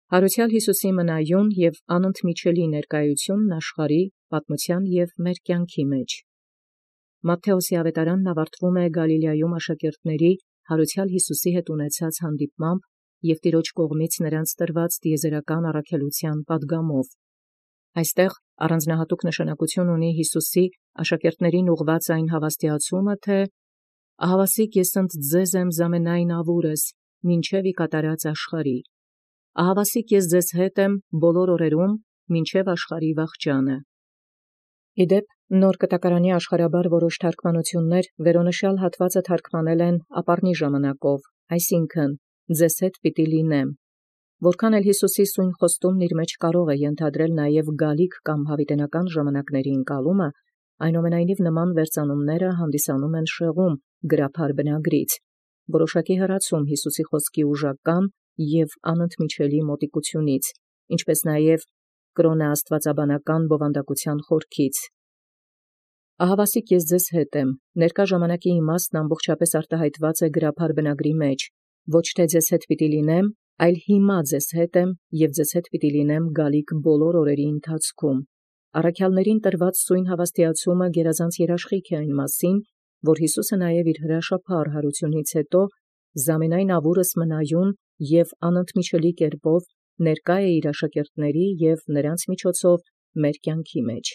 Յարուցեալ Յիսուսի մնայուն և անընդմիջելի ներկայութիւնն աշխարհի պատմութեան և մեր կյանքի մեջ։ Մատթէոսի ավետարանն ավարտվում Գալիլեայում աշակերտացն յարուցեալ Յիսուսի հետ ունեցած հանդիպմամբ և տիրոջ կողմից նոցա տրված տիեզերական առաքելութեան պատգամով։ Այստեղ առանձնահատուկ նշանակութիւն ունի Յիսուսի աշակերտացն ուղղված այն հաւաստիացումը, թէ «Ահավասիկ ես ընդ ձեզ եմ զամենայն յաւուրս, մինչև ի կատարած աշխարհի. ահավասիկ ես ձեզ հետ եմ բոլոր օրերուն, մինչև աշխարհի վախճանը»։ Ի դեպ, նոր կտակարանի աշխարհաբար որոշ թարգմանութիւնս վերոնշյալ հատուածը թարգմանել են ապառնի ժամանակով, այսինքն՝ «ձեզ հետ պիտի լինեմ». Որքան էլ Յիսուսի սույն խոստումն իր մեջ կարող ենթադրել նաև գալիք կամ յաւիտենական ժամանակների ընկալումը, այնուամենայնիվ նման վերծանումս հանդիսանում են շեղում գրաբար բնագրից, որոշակի հեռացում Յիսուսի խոսքի ուժական և անընդմիջելի մոտիկութիւնից, ինչպէս նաև կրոնական աստուածաբանական բովանդակութեան խորքից։ «Ահավասիկ ես ձեզ հետ եմ» ներկա ժամանակի իմաստն ամբողջապէս արտահայտված գրաբար բնագրի մեջ, ոչ թէ «ձեզ հետ պիտի լինեմ», այլ «հիմա ձեզ հետ եմ և ձեզ հետ պիտի լինեմ գալիք բոլոր օրերի ընթացքում»։ Առաքեալսն տրված սույն հաւաստիացումը գերազանց երաշխիք է այն մասին, որ Յիսուսը նաև իր հրաշափառ յարութիւնից յետո զամենայն յաւուրս մնայուն և անընդմիջելի կերպով ներկայ է իր աշակերտացն և նոցանց միջոցով մեր կյանքի մեջ։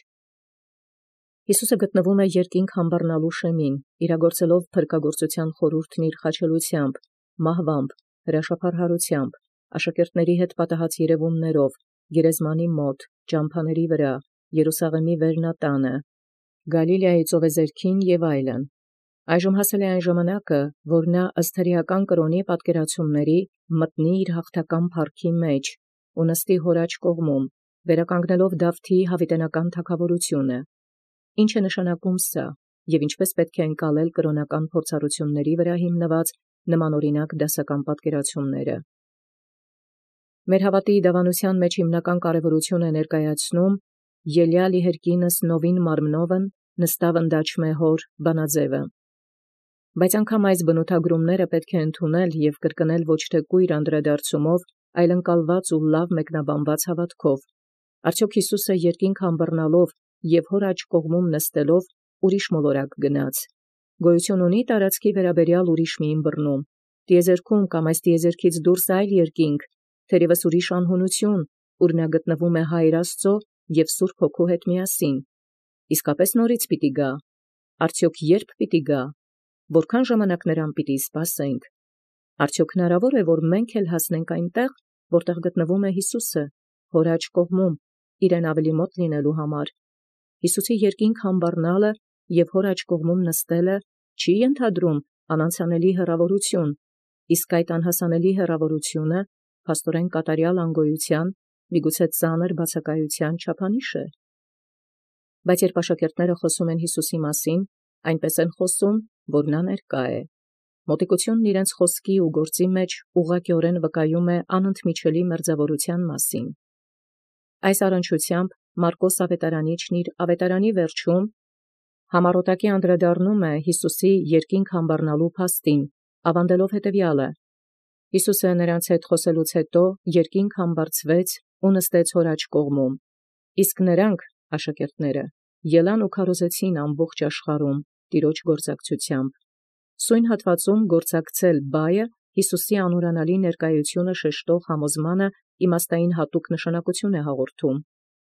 Յիսուսը գտնվում է երկինք յամբառնալու շեմին, իրագործելով փրկագործութեան խորհուրդն իր խաչելութեամբ, մահուամբ, հրաշափառ յարութեամբ, աշակերտացն հետ պատահած երևումներով, գերեզմանի մոտ, ճամբաների վրա, Երուսաղեմի վերնատանը, Գալիլեայի ծովեզերքին և այլն։ Այժմ հասել է այն ժամանակը, որ ըստ հրեական կրոնի պատկերացումացն մտնի իր հաղթական փառքի մեջ ու նստի հոր աջ կողմում, վերականգնելով Դավթի յաւիտենական թագաւորութիւնը։ Ի՞նչ է նշանակում սա, և ինչպէս պետք է ընկալել կրոնական փորձառութիւնացն վրա հիմնված նմանօրինակ դասական պատկերացումս։ Մեր հաւատոյ դաւանութեան մեջ հիմնական կարևորութիւն է ներկայացնում ելեալ իհերկինս նովին մարմնովն նստաւ ընդաչմէ հոր բանաձևը։ Բայց անգամ այս բնութագրումս պետք է ընդունել և կրկնել ոչ թէ կույր անդրադարձումով, այլ ընկալված ու լավ մեկնաբանված հաւատքով։ Արդյոք Յիսուսը երկինք յամբռնալով և հոր աջ կողմում նստելով ուրիշ մոլորակ գնաց, գոյութիւն ունի տարածքի վերաբերեալ ուրիշ մի ըմբռնում, տիեզերքում կամ այս տիեզերքից դուրս այլ երկինք, թերևս ուրիշ անհունութիւն, ուր նա գտնվում է Հայր Աստուծոյ և Սուրբ Հոգու հետ միասին։ Իսկապէս նորից պիտի գա։ Արդյոք ե՞րբ պիտի գա, որքան ժամանակ նրան պիտի սպասենք։ Արդյոք հնարավոր է, որ մենք էլ հասնենք այնտեղ, որտեղ գտնվում է Յիսուսը, հոր աջ կողմում, իրեն ավելի մոտ լինելու համար։ Յիսուսի երկինք յամբառնալը և հոր աջ կողմում նստելը չի ենթադրում անանցանելի հեռավորութիւն, իսկ այդ անհասանելի հեռավորութիւնը փաստորեն կատարեալ անգոյութեան, միգուցե ծանր բացակայութեան չափանիշ է։ Բայց երբ աշակերտները խոսում են Յիսուսի մասին, այնպես են խոսում, որ նա ներկա է։ Մոտիկութիւնն իրենց խոսքի ու գործի մեջ ուղղակիորեն վկայում է անընդմիջելի մերձաւորութեան մասին։ Այս առնչությամբ Մարկոս ավետարանիչն իր ավետարանի վերջում համառոտակի անդրադառնում է Յիսուսի երկինք յամբառնալու փաստին, աւանդելով հետևեալը. Յիսուսը նրանց հետ խոսելուց յետո երկինք յամբարձվեց ու նստեց հոր աջ կողմում, իսկ նոցանք աշակերտները ելան ու քարոզեցին ամբողջ աշխարհում տիրոջ գործակցութեամբ։ Սույն հատվածում «գործակցել» բայը Յիսուսի անուրանալի ներկայութիւնը շեշտող համոզմանը իմաստային հատուկ նշանակութիւն է հաղորդում։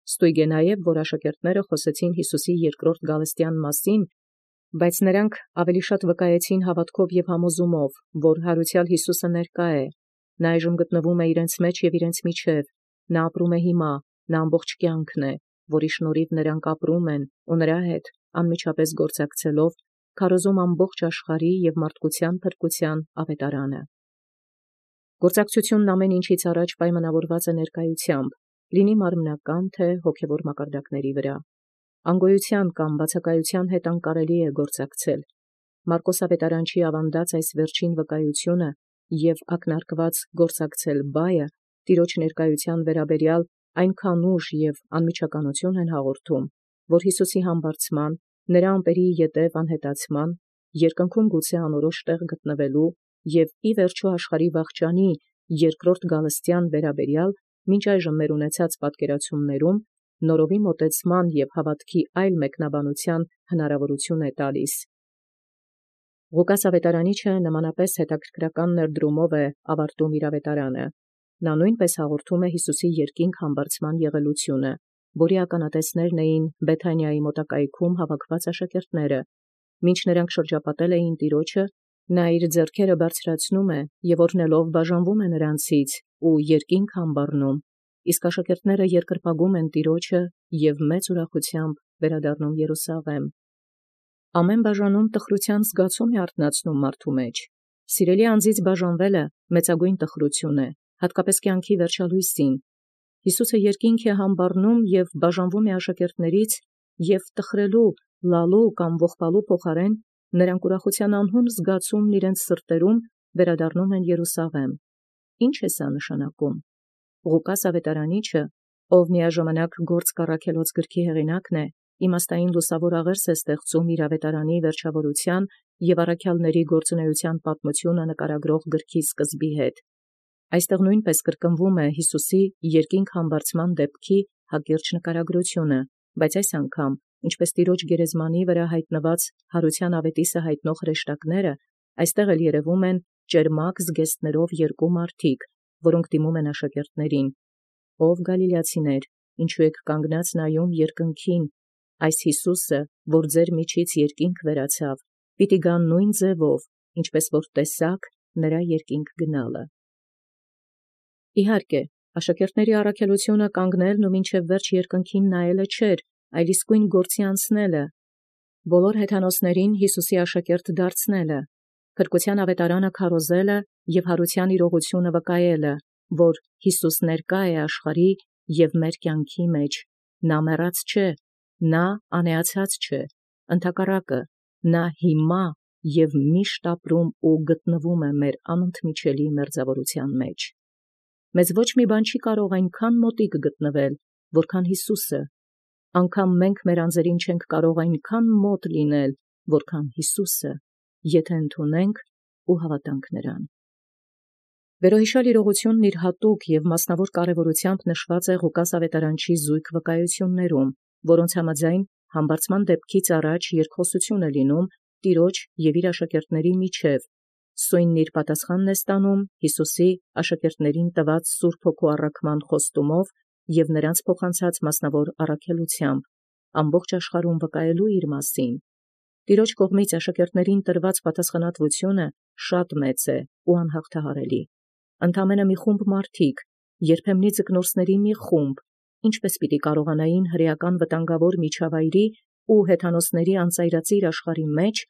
Ստույգ է նաև, որ աշակերտները խոսեցին Յիսուսի երկրորդ գալստեան մասին, բայց նոցանք ավելի շատ վկայեցին հաւատքով և համոզումով, որ յարուցեալ Յիսուսը ներկա է, նա այժմ գտնվում է իրենց մեջ և իրենց միջև, նա ապրում է հիմա, նա ամբողջ կյանքն է, որի շնորհիվ նոցանք ապրում են ու նրա հետ անմիջապես գործակցելով քարոզում ամբողջ աշխարհի և մարդկութեան փրկութեան աւետարանը։ Գործակցութիւնն ամեն ինչից առաջ պայմանաւորված է ներկայութեամբ, լինի մարմնական թե հոգևոր մակարդակների վրա։ Անգոյութեան կամ բացակայութեան հետ անկարելի է գործակցել։ Մարկոս ավետարանչի աւանդած այս վերջին վկայութիւնը և ակնարկված գործակցել բայը տիրոջ ներկայութեան վերաբերեալ այնքան ուժ և անմիջականութիւն են հաղորդում, որ Յիսուսի համբարձման, նրա ամպերի ետև անհետացման, երկնքում գուցե անորոշ տեղ գտնվելու և ի վերջոյ աշխարհի վախճանի երկրորդ գալստեան վերաբերեալ մինչ այժմ մեր ունեցած պատկերացումներում նորովի մոտեցման և հավատքի այլ մեկնաբանության հնարավորություն է տալիս։ Ղուկաս ավետարանիչը նմանապես հետաքրքրական ներդրումով է ավարտում իր ավետարանը։ Նա նույնպես հաղորդում է Հիսուսի երկինք համբարձման եղելությունը, որի ականատեսներն էին Բեթանիայի մոտակայքում հավաքված աշակերտները։ Մինչ նրանք շրջապատել էին Տիրոջը, նա իր ձեռքերը բարձրացնում է և օրհնելով բաժանվում է նրանցից ու երկինք համբառնում, իսկ աշակերտները երկրպագում են Տիրոջը և մեծ ուրախությամբ վերադառնում Երուսաղեմ։ Ամեն բաժանում տխրութեան զգացում է արթնացնում մարդու մեջ։ Սիրելի անձից բաժանվելը մեծագույն տխրություն է, հատկապես կյանքի վերջալույսին։ Հիսուսը երկինք է համբառնում և բաժանվում է աշակերտներից, և տխրելու, լալու կամ ողբալու փոխարեն նրանք ուրախության անհուն զգացումն իրենց սրտերում վերադառնում են Երուսաղեմ։ Ինչ է սա նշանակում։ Ղուկաս ավետարանիչը, ով միաժամանակ գործ կառաքելոց գրքի հեղինակն է, իմաստային լուսավոր աղերս է ստեղծում իր ավետարանի վերջավորության և առաքյալների գործունեության պատմությունը նկարագրող գրքի սկզբի հետ։ Այստեղ նույնպես կրկնվում է Հիսուսի երկինք համբարձման դեպքի հակիրճ նկարագրությունը, բայց այս անգամ, ինչպես Տիրոջ գերեզմանի վրա հայտնված հարության ավետիսը հայտնող հրեշտակները, այստեղ էլ երևում են ճերմակ զգեստներով երկու մարդիկ, որոնք դիմում են աշակերտներին. «Ով գալիլացիներ, ինչու եք կանգնած նայում երկնքին, այս Հիսուսը, որ ձեր միջից երկինք վերացավ, պիտի գա նույն ձևով, ինչպես որ տեսաք նրա երկինք գնալը»։ Իհարկե, աշակերտների առաքելությունը կանգնելն ու մինչև վերջ երկնքին նայելը չէր, այլ իսկույն գործի անցնելը, բոլոր հեթանոսներին Հիսուսի աշակերտ դարձնելը, փրկության ավետարանը քարոզելը և հարության իրողությունը վկայելը, որ Հիսուս ներկա է աշխարհի և մեր կյանքի մեջ, նա մեռած չէ, նա անեացած չէ, ընդհակառակը, նա հիմա և միշտ ապրում ու գտնվում է մեր անընդմիջելի մերձավորության մեջ։ Մեզ ոչ մի բան չի կարող այնքան մոտիկ գտնվել, որքան Հիսուսը, անգամ մենք մեր անձերին չենք կարող այնքան մոտ լինել, որքան Հիսուսը, եթե ընդունենք ու հավատանք նրան։ Վերոհիշալ իրողությունն իր հատուկ և մասնավոր կարևորությամբ նշված է Ղուկաս ավետարանչի զույգ վկայություններում, որոնց համաձայն համբարձման դեպքից առաջ երկխոսություն է լինում Տիրոջ և իր աշակերտների միջև, սույնն իր պատասխանն է ստանում Հիսուսի աշակերտներին տված Սուրբ Հոգու առաքման խոստումով և նրանց փոխանցած մասնավոր առաքելությամբ, ամբողջ աշխարհում վկայելու իր մասին։ Տիրոջ կողմից աշակերտներին տրված պատասխանատվությունը շատ մեծ է ու անհաղթահարելի։ Ընդամենը մի խումբ մարդիկ, երբեմնի ձկնորսների մի խումբ, ինչպես պիտի կարողանային հրեական վտանգավոր միջավայրի ու հեթանոսների անծայրածիր աշխարհի մեջ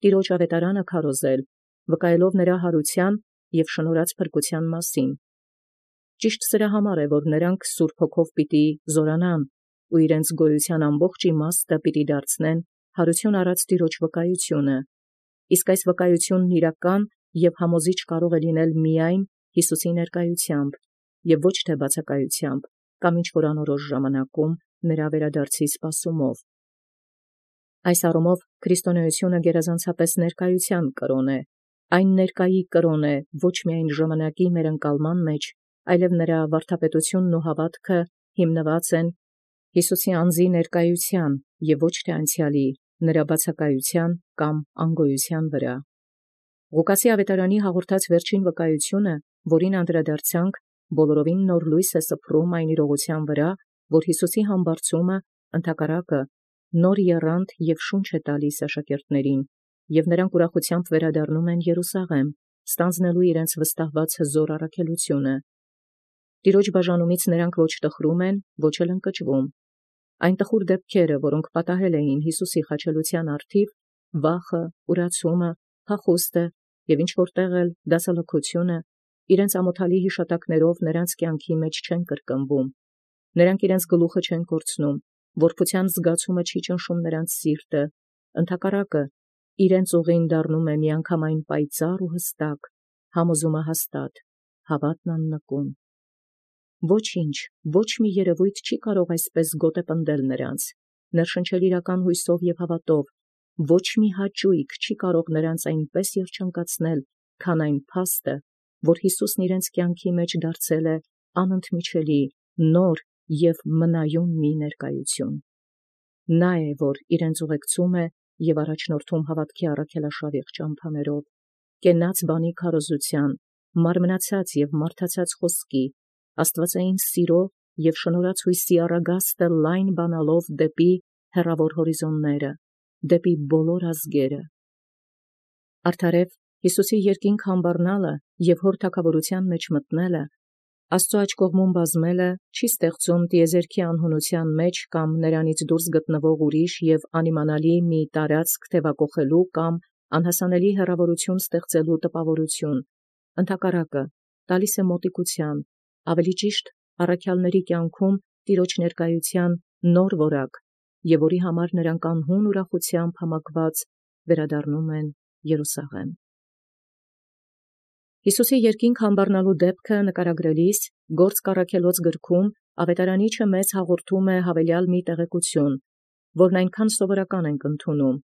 Տիրոջ ավետարանը քարոզել, վկայելով նրա հարության և շնորհած փրկության մասին։ Ճիշտ սրա համար է, որ նրանք Սուրբ Հոգով պիտի զորանան ու իրենց գոյության ամբողջ իմաստը պիտի դարձնեն հարություն առած Տիրոջ վկայությունը, իսկ այս վկայությունն իրական և համոզիչ կարող է լինել միայն Հիսուսի ներկայությամբ և ոչ թե բացակայությամբ կամ ինչ-որ անորոշ ժամանակում նրա վերադարձի սպասումով։ Այս առումով քրիստոնեությունը գերազանցապես ներկայության կրոն է, այն ներկայի կրոն է ոչ միայն ժամանակի մեր ընկալման մեջ, այլև նրա վարդապետությունն ու հավատքը հիմնված են Հիսուսի անձի ներկայության և ոչ թե անցյալի, նրա բացակայության կամ անգոյության վրա։ Ղուկասի ավետարանի հաղորդած վերջին վկայությունը, որին անդրադարձանք, բոլորովին նոր լույս է սփռում այն իրողության վրա, որ Հիսուսի համբարձումը ընդհակառակը նոր եռանդ և շունչ է տալիս աշակերտներին, և նրանք ուրախությամբ վերադառնում են Երուսաղեմ, ստանձնելու իրենց վստահված հզոր առաքելությունը։ Տիրոջ բաժանումից նրանք ոչ տխրում են, ոչ էլ ընկճվում։ Այն տխուր դեպքերը, որոնք պատահել էին Հիսուսի խաչելության առթիվ, վախը, ուրացումը, փախուստը և ինչ-որ տեղ էլ դասալքությունը, իրենց ամոթալի հիշատակներով նրանց կյանքի մեջ չեն կրկնվում։ Նրանք իրենց գլուխը չեն կորցնում, որփության զգացումը չի ճնշում նրանց սիրտը, ընդհակառակը, իրենց ուղին դառնում է միանգամայն պայծառ ու հստակ, համոզումը հաստատ, հավատն աննկուն։ Ոչինչ, ոչ մի երևույթ չի կարող այսպես գոտեպնդել նրանց, ներշնչել իրական հույսով և հավատով, ոչ մի հաճույք չի կարող նրանց այնպես երջանկացնել, քան այն փաստը, որ Հիսուսն իրենց կյանքի մեջ դարձել է անընդմիջելի, նոր և մնայուն մի ներկայություն։ Նա է, որ իրենց ուղեկցում է և առաջնորդում հավատքի առաքելաշավիղ ճամփաներով, կենաց բանի քարոզության, մարմնացած և մարդացած խոսքի, աստվածային սիրո և շնորհացույցի առագաստը լայն բանալով դեպի հեռավոր հորիզոնները, դեպի բոլոր ազգերը։ Արդարև Յիսուսի երկինք համբառնալը և հոր թագաւորութեան մեջ մտնելը, Աստուծոյ աջ կողմուն բազմելը չի ստեղծում տիեզերքի անհունության մեջ կամ նրանից դուրս գտնվող ուրիշ և անիմանալի մի տարածք թևակողելու կամ անհասանելի հեռավորություն ստեղծելու տպավորություն, ընդհակառակը տալիս է մոտիկութեան, ավելի ճիշտ առաքյալների կյանքում Տիրոջ ներկայութեան նոր որակ, և որի համար նրանք անհուն ուրախութեամբ համակված վերադառնում են Երուսաղեմ։ Յիսուսի երկինք համբառնալու դեպքը նկարագրելիս Գործք առաքելոց գրքում ավետարանիչը մեզ հաղորդում է հավելյալ մի տեղեկություն, որն այնքան սովորական ենք ընդունում,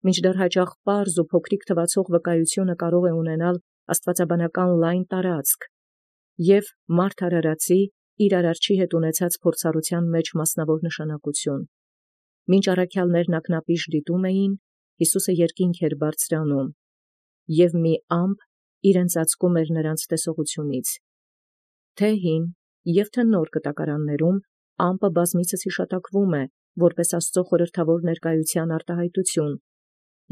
մինչդեռ հաճախ պարզ ու փոքրիկ թվացող վկայությունը կարող է ունենալ աստվածաբանական լայն տարածք և մարդ արարածի իր արարչի հետ ունեցած փորձառության մեջ մասնավոր նշանակություն։ Մինչ առաքյալներն ակնապիշ դիտում էին, Յիսուսը երկինք էր բարձրանում, և մի ամպ իրեն ծածկում էր նրանց տեսողությունից։ Թե հին և թե նոր կտակարաններում ամպը բազմիցս հիշատակվում է, որպես Աստծո խորհրդավոր ներկայության արտահայտություն։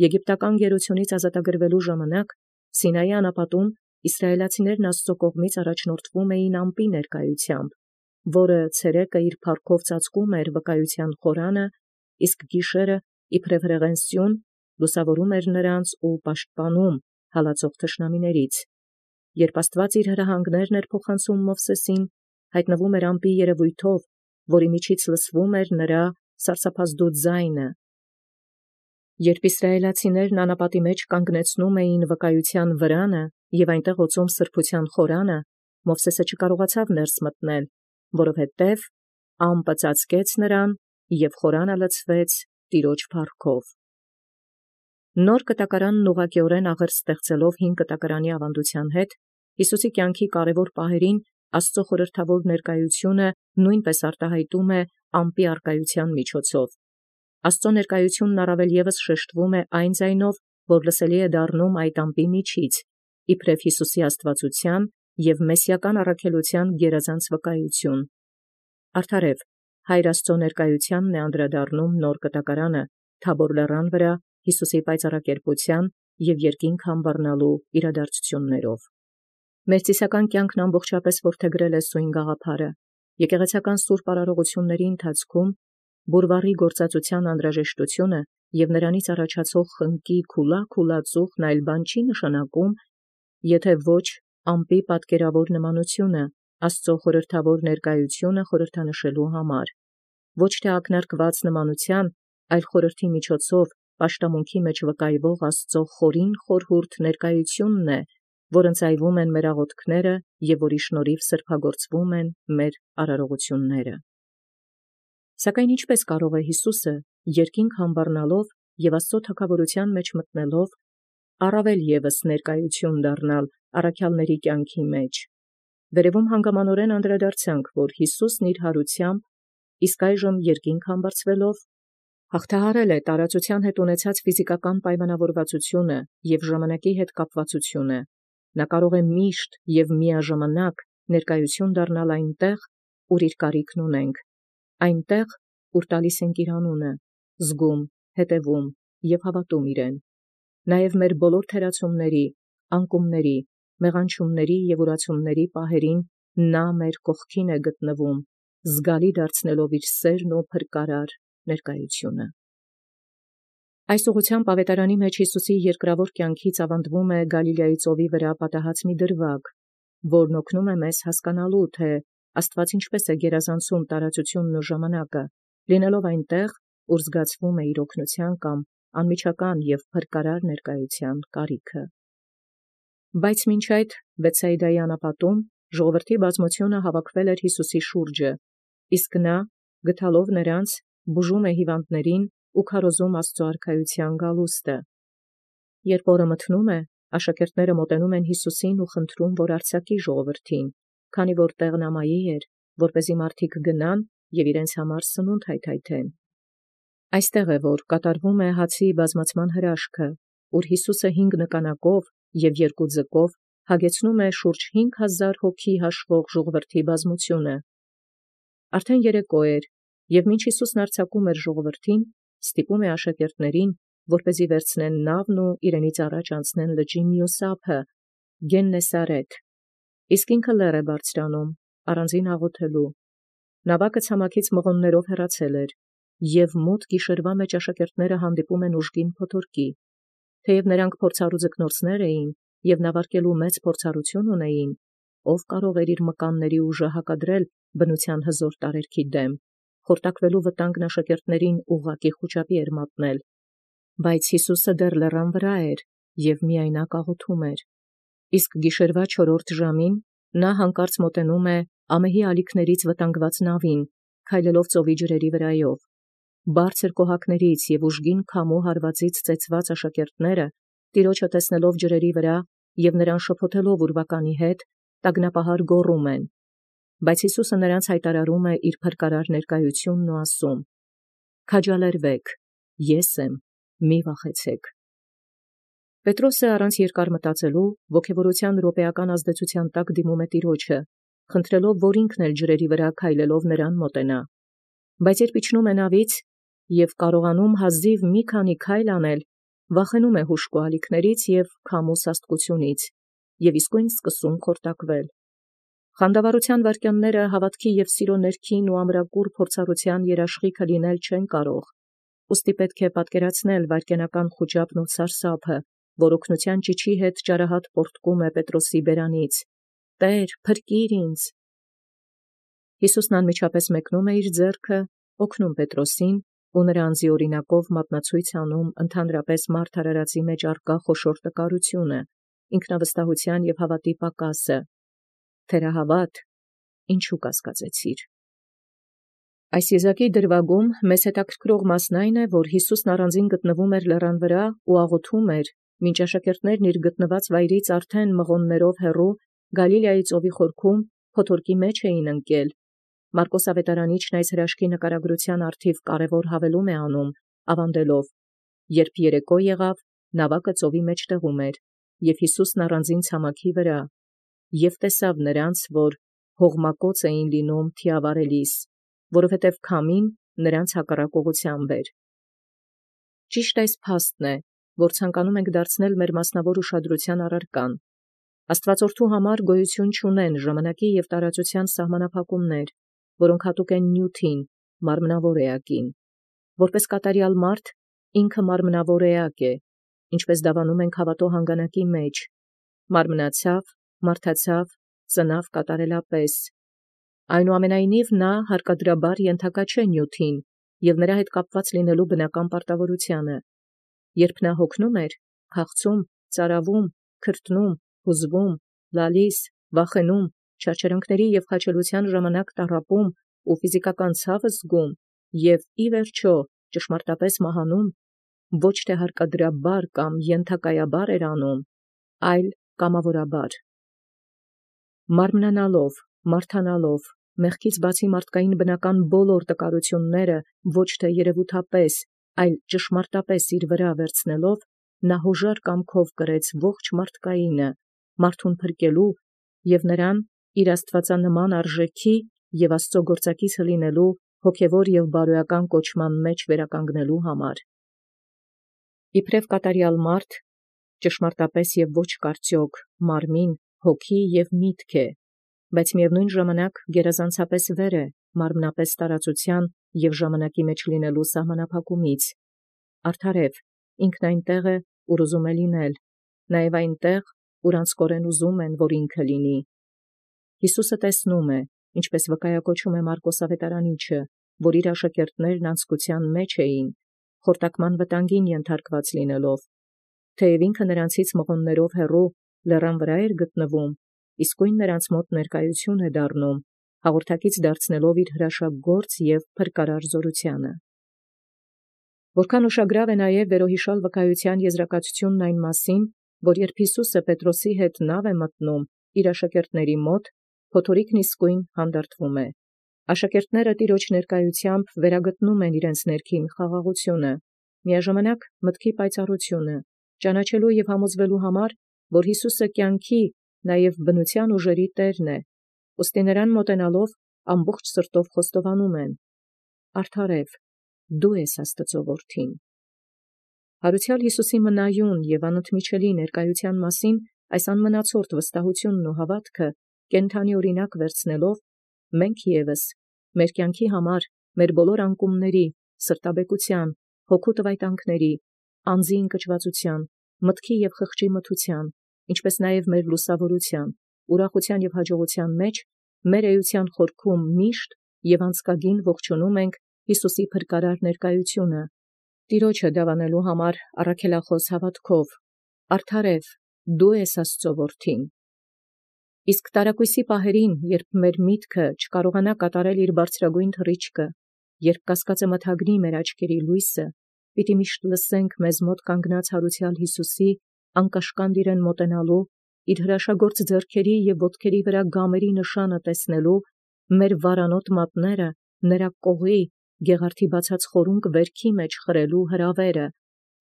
Եգիպտական գերությունից ազատագրվելու ժամանակ Սինայի անապատում իսրայելացիներն Աստծո կողմից առաջնորդվում էին ամպի ներկայությամբ, որը ցերեկը իր փառքով ծածկում էր վկայության խորանը, իսկ գիշերը իբրև հրեղեն սյուն լուսավորում էր նրանց ու պաշտպանում հալածող թշնամիներից։ Երբ Աստված իր հրահանգներն էր փոխանցում Մովսեսին, հայտնվում էր ամպի երևույթով, որի միջից լսվում էր նրա սարսափազդու ձայնը։ Երբ իսրայելացիներն անապատի մեջ կանգնեցնում էին վկայության վրանը և այնտեղ օծում սրբության խորանը, Մովսեսը չկարողացավ ներս մտնել, որովհետև ամպը ծածկեց նրան, և խորանը լցվեց Տիրոջ փառքով։ Նոր կտակարանն ուղղակիորեն աղերս ստեղծելով հին կտակարանի ավանդության հետ, Յիսուսի կյանքի կարևոր պահերին Աստծո խորհրդավոր ներկայությունը նույնպես արտահայտում է ամպի առկայության միջոցով։ Աստծո ներկայությունն առավել ևս շեշտվում է այն ձայնով, որ լսելի է դառնում այդ ամպի միջից, իբրև Յիսուսի աստվածության և մեսիական առաքելության գերազանց վկայություն։ Արդարև Հայր Աստծո ներկայությանն է անդրադառնում նոր կտակարանը Թաբոր լեռան վրա Յիսուսի պայծառակերպության և երկինք համբառնալու իրադարձություններով։ Մեր ծիսական կյանքն ամբողջապես որդեգրել է սույն գաղափարը։ Եկեղեցական սուրբ արարողությունների ընթացքում բուրվառի գործածության անհրաժեշտությունը և նրանից առաջացող խնկի քուլա-քուլածուխն այլ բան չի նշանակում, եթե ոչ ամպի պատկերավոր նմանությունը Աստծո խորհրդավոր ներկայությունը խորհրդանշելու համար, ոչ թե ակնարկված նմանության, այլ խորհրդի միջոցով պաշտամունքի մեջ վկայվող Աստծո խորին խորհուրդ ներկայությունն է, որ ընծայվում են մեր աղոթքները և որի շնորհիվ սրբագործվում են մեր արարողությունները։ Սակայն ինչպե՞ս կարող է Յիսուսը երկինք համբառնալով և Աստծո թագաւորութեան մեջ մտնելով առավել ևս ներկայություն դառնալ առաքյալների կյանքի մեջ։ Վերևում հանգամանորեն անդրադարձանք, որ Յիսուսն իր հարությամբ իսկ այժմ երկինք համբարձվելով հաղթահարել է տարածության հետ ունեցած ֆիզիկական պայմանավորվածությունը և ժամանակի հետ կապվածությունը։ Նա կարող է միշտ և միաժամանակ ներկայություն դառնալ այնտեղ, ուր իր կարիքն ունենք, այնտեղ, ուր տալիս ենք իր անունը, զգում, հետևում և հավատում իրեն։ Նաև մեր բոլոր թերացումների, անկումների, մեղանչումների և ուրացումների պահերին նա մեր կողքին է գտնվում, զգալի դարձնելով իր սերն ու փրկարար ներկայությունը։ Այս ուղղությամբ ավետարանի մեջ Յիսուսի երկրավոր կյանքից ավանդվում է Գալիլեայի ծովի վրա պատահած մի դրվագ, որն օգնում է մեզ հասկանալու, թե Աստված ինչպես է գերազանցում տարածությունն ու ժամանակը, լինելով այնտեղ, ուր զգացվում է իր օգնության կամ անմիջական և փրկարար ներկայության կարիքը։ Բայց մինչ այդ Բեթսայիդայի անապատում ժողովրդի բազմությունը հավաքվել էր Յիսուսի շուրջը, իսկ նա, գտալով նրանց, բուժում է հիվանդներին ու քարոզում Աստծո արքայության գալուստը։ Երբ օրը մթնում է, աշակերտները մոտենում են Յիսուսին ու խնդրում, որ արձակի ժողովրդին, քանի որ տեղն ամայի էր, որպեսզի մարդիկ գնան և իրենց համար սնունդ հայթայթեն։ Այստեղ է, որ կատարվում է հացի բազմացման հրաշքը, ուր Յիսուսը 5 նկանակով և 2 ձկով հագեցնում է շուրջ 5,000 հոգի հաշվող ժողովրդի բազմությունը։ Արդեն երեկո էր, և մինչ Յիսուսն արձակում էր ժողովրդին, ստիպում է աշակերտներին, որպեսզի վերցնեն նավն ու իրենից առաջ անցնեն լճի մյուս ափը, Գեննեսարեթ, իսկ ինքը լեռ է բարձրանում, առանձին աղոթելու։ Նավակը ցամաքից մղոններով հեռացել էր, և մութ գիշերվա մեջ աշակերտները հանդիպում են ուժգին փոթորկի։ Թեև նրանք փորձառու ձկնորսներ էին և նավարկելու մեծ փորձառություն ունեին, ով կարող էր իր մկանների ուժը հակադրել բնության հզոր տարերքի դեմ, խորտակվելու վտանգն աշակերտներին ուղղակի խուճապի էր մատնել։ Բայց Յիսուսը դեռ լեռան վրա էր և միայնակ աղոթում էր։ Իսկ գիշերվա 4-րդ ժամին նա հանկարծ մոտենում է ամեհի ալիքներից վտանգված նավին, քայլելով ծովի ջրերի վրայով։ Բարձր կոհակներից և ուժգին քամու հարվածից ծեծված աշակերտները, տիրոջը տեսնելով ջրերի վրա և նրան շփոթելով ուրվականի հետ, տագնապահար գոռում են։ Բայց Յիսուսը նրանց հայտարարում է իր փրկարար ներկայությունն ու ասում. «Քաջալերվեք, ես եմ, մի վախեցեք»։ Պետրոսը առանց երկար մտածելու ոգևորության րոպեական ազդեցության տակ դիմում է տիրոջը, խնդրելով, որ ինքն էլ ջրերի վրա քայլելով նրան մոտենա։ Բայց երբ իջնում է նավից և կարողանում հազիվ մի քանի քայլ անել, վախենում է հուժկու ալիքներից և քամու սաստկությունից, և իսկույն սկսում խորտակվել։ Խանդավառության վայրկյանները հավատքի և սիրո ներքին ու ամրագուռ փորձառության երաշխիքը լինել չեն կարող, ուստի պետք է պատկերացնել վայրկենական խուճապն ու սարսափը, որ օգնության ճիչի հետ ճարահատ պոռթկում է Պետրոսի բերանից. «Տե՛ր, փրկիր ինձ»։ Յիսուսն անմիջապես մեկնում է իր ձեռքը, օգնում Պետրոսին ու նրա անձիօրինակով մատնացույց անում ընդհանրապես մարդ արարածի մեջ առկա խոշոր տկարությունը, ինքնավստահության և հավատի պակասը։ Թերահավատ, ինչու կասկածեցիր։ Այս եզակի դրվագում մեզ հետաքրքրող մասն այն է, որ Յիսուսն առանձին գտնվում էր լեռան վրա ու աղոթում էր, մինչ աշակերտներն իր գտնված վայրից արդեն մղոններով հեռու Գալիլեայի ծովի խորքում փոթորկի մեջ էին ընկել։ Մարկոս ավետարանիչն այս հրաշքի նկարագրության առթիվ կարևոր հավելում է անում, ավանդելով. երբ երեկո եղավ, նավակը ծովի մեջտեղում էր, և Յիսուսն առանձին ցամաքի վրա, և տեսավ նրանց, որ հողմակոծ էին լինում թիավարելիս, որովհետև քամին նրանց հակառակ ուղղությամբ էր։ Ճիշտ այս փաստն է, որ ցանկանում ենք դարձնել մեր մասնավոր ուշադրության առարկան։ Աստվածորդու համար գոյություն չունեն ժամանակի և տարածության սահմանափակումներ, որոնք հատուկ են նյութին, մարմնավոր էակին։ Որպես կատարյալ մարդ, ինքը մարմնավոր էակ է, ինչպես դավանում ենք հավատո հանգանակի մեջ. մարմնացավ, մարդացավ, ծնավ կատարելապես։ Այնուամենայնիվ նա հարկադրաբար ենթակա չէ նյութին և նրա հետ կապված լինելու բնական պարտավորությանը։ Երբ նա հոգնում էր, քաղցում, ծարավում, քրտնում, հուզվում, լալիս, վախենում, չարչարանքների և խաչելության ժամանակ տառապում ու ֆիզիկական ցավ զգում և ի վերջո ճշմարտապես մահանում, ոչ թե հարկադրաբար կամ ենթակայաբար էր անում, այլ կամավորաբար։ Մարմնանալով, մարդանալով, մեղքից բացի մարդկային բնական բոլոր տկարությունները ոչ թե երևութապես, այլ ճշմարտապես իր վրա վերցնելով, նա հոժար կամքով կրեց ողջ մարդկայինը, մարդուն փրկելու և նրան իր աստվածանման արժեքի և Աստծո գործակիցը լինելու հոգևոր և բարոյական կոչման մեջ վերականգնելու համար։ Իբրև կատարյալ մարդ, ճշմարտապես և ոչ կարծոք, մարմին, հոգի և միտք է, բայց միևնույն ժամանակ գերազանցապես վեր է մարմնապես տարածության և ժամանակի մեջ լինելու սահմանափակումից։ Արդարև, ինքն այնտեղ է, ուր ուզում է լինել, նաև այնտեղ, ուր անձկորեն ուզում են, որ ինքը լինի։ Յիսուսը տեսնում է, ինչպես վկայակոչում է Մարկոս ավետարանիչը, որ իր աշակերտներն անձկության մեջ էին, խորտակման վտանգին ենթարկված լինելով, թեև ինքը նրանցից մղոններով հեռու լեռան վրա էր գտնվում, իսկույն նրանց մոտ ներկայություն է դառնում, հաղորդակից դարձնելով իր հրաշագործ և փրկարար զորությանը։ Որքան ուշագրավ է նաև վերոհիշալ վկայության եզրակացությունն այն մասին, որ երբ Յիսուսը Պետրոսի հետ նավ է մտնում իր աշակերտների մոտ, փոթորիկն իսկույն հանդարտվում է։ Աշակերտները տիրոջ ներկայութեամբ վերագտնում են իրենց ներքին խաղաղությունը, միաժամանակ մտքի պայծառությունը, ճանաչելու և համոզվելու համար, որ Յիսուսը կյանքի, նաև բնության ուժերի տերն է, ուստի նրան մոտենալով ամբողջ սրտով խոստովանում են. «Արդարև, դու ես Աստծո որդին»։ Յարուցյալ Յիսուսի մնայուն և անընդմիջելի ներկայութեան մասին այս անմնացորդ վստահութիւնն ու հաւատքը կենդանի օրինակ վերցնելով, մենք եւս մեր կյանքի համար, մեր բոլոր անկումների, սրտաբեկության, հոգու տվայտանքների, անձի ընկճվածության, մտքի և խղճի մթության, ինչպէս նաև մեր լուսավորության, ուրախության և հաջողության մեջ, մեր էության խորքում միշտ և անցկագին ողջունում ենք Յիսուսի փրկարար ներկայությունը, Տիրոջը դավանելու համար առաքելախոս հաւատքով. «Արդարև, դու ես Աստծո որդին»։ Իսկ տարակույսի պահերին, երբ մեր միտքը չկարողանա կատարել իր բարձրագույն թռիչքը, երբ կասկածը մթագնի մեր աչքերի լույսը, պիտի միշտ լսենք մեզ մոտ կանգնած յարուցյալ Յիսուսի անկաշկանդ իրեն մոտենալու, իր հրաշագործ ձեռքերի և ոտքերի վրա գամերի նշանը տեսնելու, մեր վարանոտ մատները նրա կողի գեղարդի բացած խորունկ վերքի մեջ խրելու հրավերը,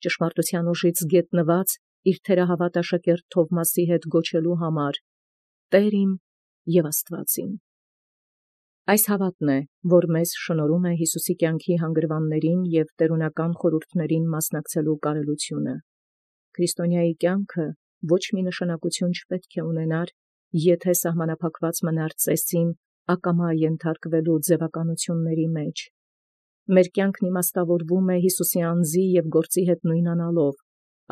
ճշմարտության ուժից գետնված իր թերահավատ աշակերտ Թովմասի հետ գոչելու համար. «Տեր իմ և Աստված իմ»։ Այս հաւատն է, որ մեզ շնորհում է Յիսուսի կյանքի հանգրվաններին և տերունական խորհուրդներին մասնակցելու կարելությունը։ Քրիստոնեայի կյանքը ոչ մի նշանակություն չպետք է ունենար, եթե սահմանափակված մնար ծեսին ակամա ենթարկվելու ձևականությունների մեջ։ Մեր կյանքն իմաստավորվում է Յիսուսի անձի և գործի հետ նույնանալով,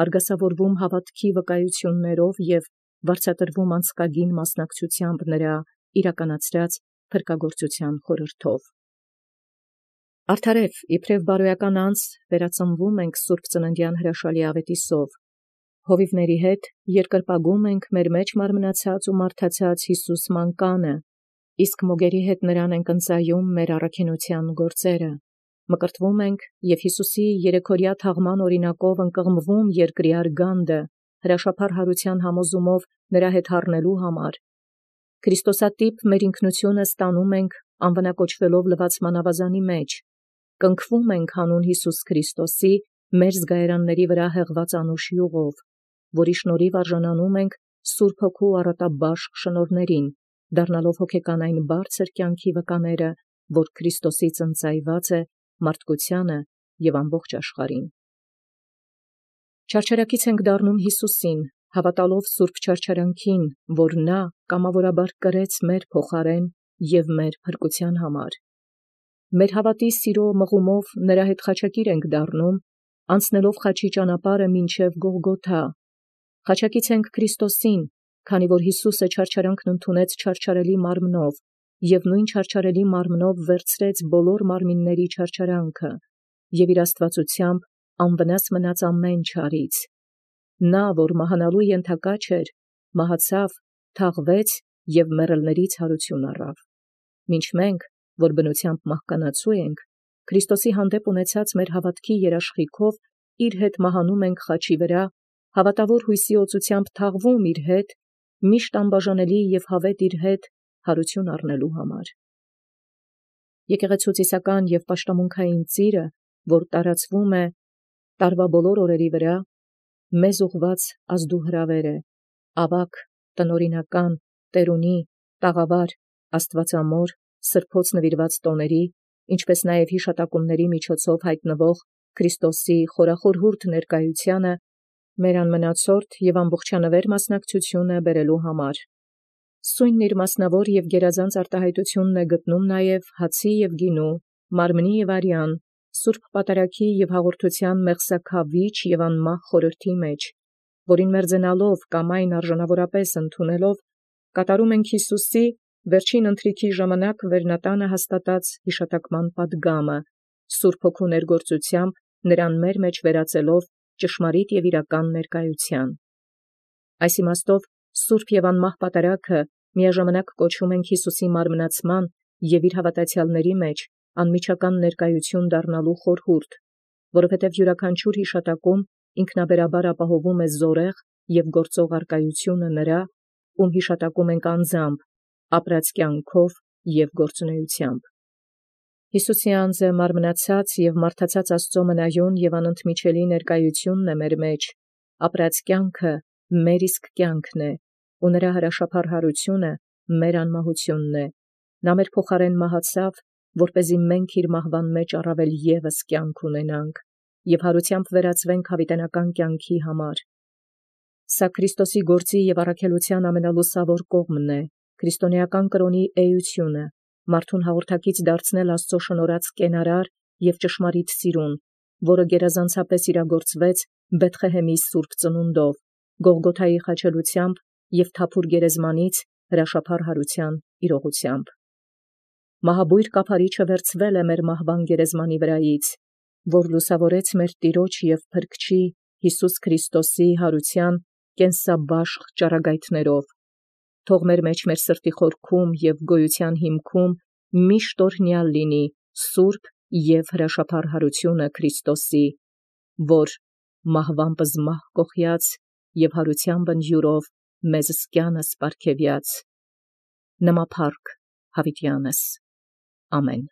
արգասավորվում հաւատքի վկայություններով և վարձատրվում անցկագին մասնակցությամբ նրա իրականացրած փրկագործության խորհրդով։ Արդարև, իբրև բարոյական անձ, վերածնվում ենք Սուրբ Ծննդյան հրաշալի աղետիսով, հովիվների հետ երկրպագում ենք մեր մեջ մարմնացած ու մարդացած Յիսուս մանկանը, իսկ մոգերի հետ նրան ենք ընծայում մեր առաքինութեան գործերը, մկրտվում ենք և Յիսուսի երեքօրյա թաղման օրինակով ընկղմվում երկրի արգանդը, հրաշափառ յարուցեան համոզումով նրա հետ հառնելու համար, Քրիստոսատիպ մեր ինքնությունը ստանում ենք անվնակոչվելով լվացման ավազանի մեջ, կնքվում ենք հանուն Յիսուս Քրիստոսի մեր զգայարանների վրա հեղված անուշ յուղով, որի շնորհիվ արժանանում ենք Սուրբ Հոգու առատաբաշխ շնորհներին, դառնալով հոգեկան այն բարձր կյանքի վկաները, որ Քրիստոսից ընծայված է մարդկությանը և ամբողջ աշխարհին։ Չարչարակից ենք դառնում Յիսուսին, հավատալով սուրբ չարչարանքին, որ նա կամավորաբար կրեց մեր փոխարեն և մեր փրկության համար։ Մեր հավատի սիրո մղումով նրա հետ խաչակիր ենք դառնում, անցնելով խաչի ճանապարհը մինչև Գողգոթա։ Խաչակից ենք Քրիստոսին, քանի որ Յիսուսը չարչարանքն ընդունեց չարչարելի մարմնով և նույն չարչարելի մարմնով վերցրեց բոլոր մարմինների չարչարանքը և իր աստվածությամբ անվնաս մնաց ամեն չարից։ Նա, որ մահանալու ենթակա չէր, մահացավ, թաղվեց և մեռելներից հարություն առավ։ Մինչ մենք, որ բնությամբ մահկանացու ենք, Քրիստոսի հանդեպ ունեցած մեր հավատքի երաշխիքով իր հետ մահանում ենք խաչի վրա, հավատավոր հույսի օծությամբ թաղվում իր հետ, միշտ անբաժանելի և հավետ իր հետ հարություն առնելու համար։ Եկեղեցու ծիսական և պաշտամունքային ծիրը, որ տարածվում է տարվա բոլոր օրերի վրա, մեզ ուղղված ազդուհրավեր է, ավագ, տնօրինական, տերունի, տաղավար, աստվածամոր, սրբոց նվիրված տոների, ինչպես նաև հիշատակումների միջոցով հայտնվող Քրիստոսի խորախորհուրդ ներկայությանը մեր անմնացորդ և ամբողջանվեր մասնակցությունը բերելու համար։ Սույնն իր մասնավոր և գերազանց արտահայտությունն է գտնում նաև հացի և գինու, մարմնի և արյան, սուրբ պատարագի և հաղորդության մեղսաքավիճ և անմահ խորհրդի մեջ, որին մերձենալով կամ այն արժանավորապես ընդունելով, կատարում ենք Յիսուսի վերջին ընթրիքի ժամանակ վերնատանը հաստատած հիշատակման պատգամը, Սուրբ Հոգու ներգործությամբ նրան մեր մեջ վերածելով ճշմարիտ և իրական ներկայության։ Այս իմաստով սուրբ և անմահ պատարագը միաժամանակ կոչում ենք Յիսուսի մարմնացման և իր հավատացյալների մեջ անմիջական ներկայություն դառնալու խորհուրդ, որովհետև յուրաքանչյուր հիշատակում ինքնաբերաբար ապահովում է զորեղ և գործող առկայությունը նրա, ում հիշատակում ենք անձամբ, ապրած կյանքով և գործունեությամբ։ Յիսուսի անձը մարմնացած և մարդացած Աստծո մնայուն և անընդմիջելի ներկայությունն է մեր մեջ, ապրած կյանքը մեր իսկ կյանքն է, ու նրա հրաշափառ հարությունը մեր անմահությունն է։ Նա մեր փոխարեն մահացավ, որպեսզի մենք իր մահվան մեջ առավել ևս կյանք ունենանք և հարությամբ վերածվենք յաւիտենական կյանքի համար։ Սա Քրիստոսի գործի և առաքելության ամենալուսավոր կողմն է, քրիստոնեական կրոնի էությունը, մարդուն հաղորդակից դարձնել Աստծո շնորհած կենարար և ճշմարիտ սիրուն, որը գերազանցապես իրագործվեց Բեթղեհեմի սուրբ ծնունդով, Գողգոթայի խաչելությամբ և թափուր գերեզմանից հրաշափառ հարության իրողությամբ։ Մահաբույր կափարիչը վերցվել է մեր մահվան գերեզմանի վրայից, որ լուսավորեց մեր Տիրոջ և Փրկչի Յիսուս Քրիստոսի հարության կենսաբաշխ ճառագայթներով։ Թող մեր մեջ մեր սրտի խորքում և գոյության հիմքում միշտ օրհնյալ լինի սուրբ և հրաշափառ հարությունը Քրիստոսի, որ մահվան պզմահ կոխյաց և հարության բնջուրով մեզ սկյանս պարգևյաց։ Նմա փառք յաւիտյանս։ Ամեն։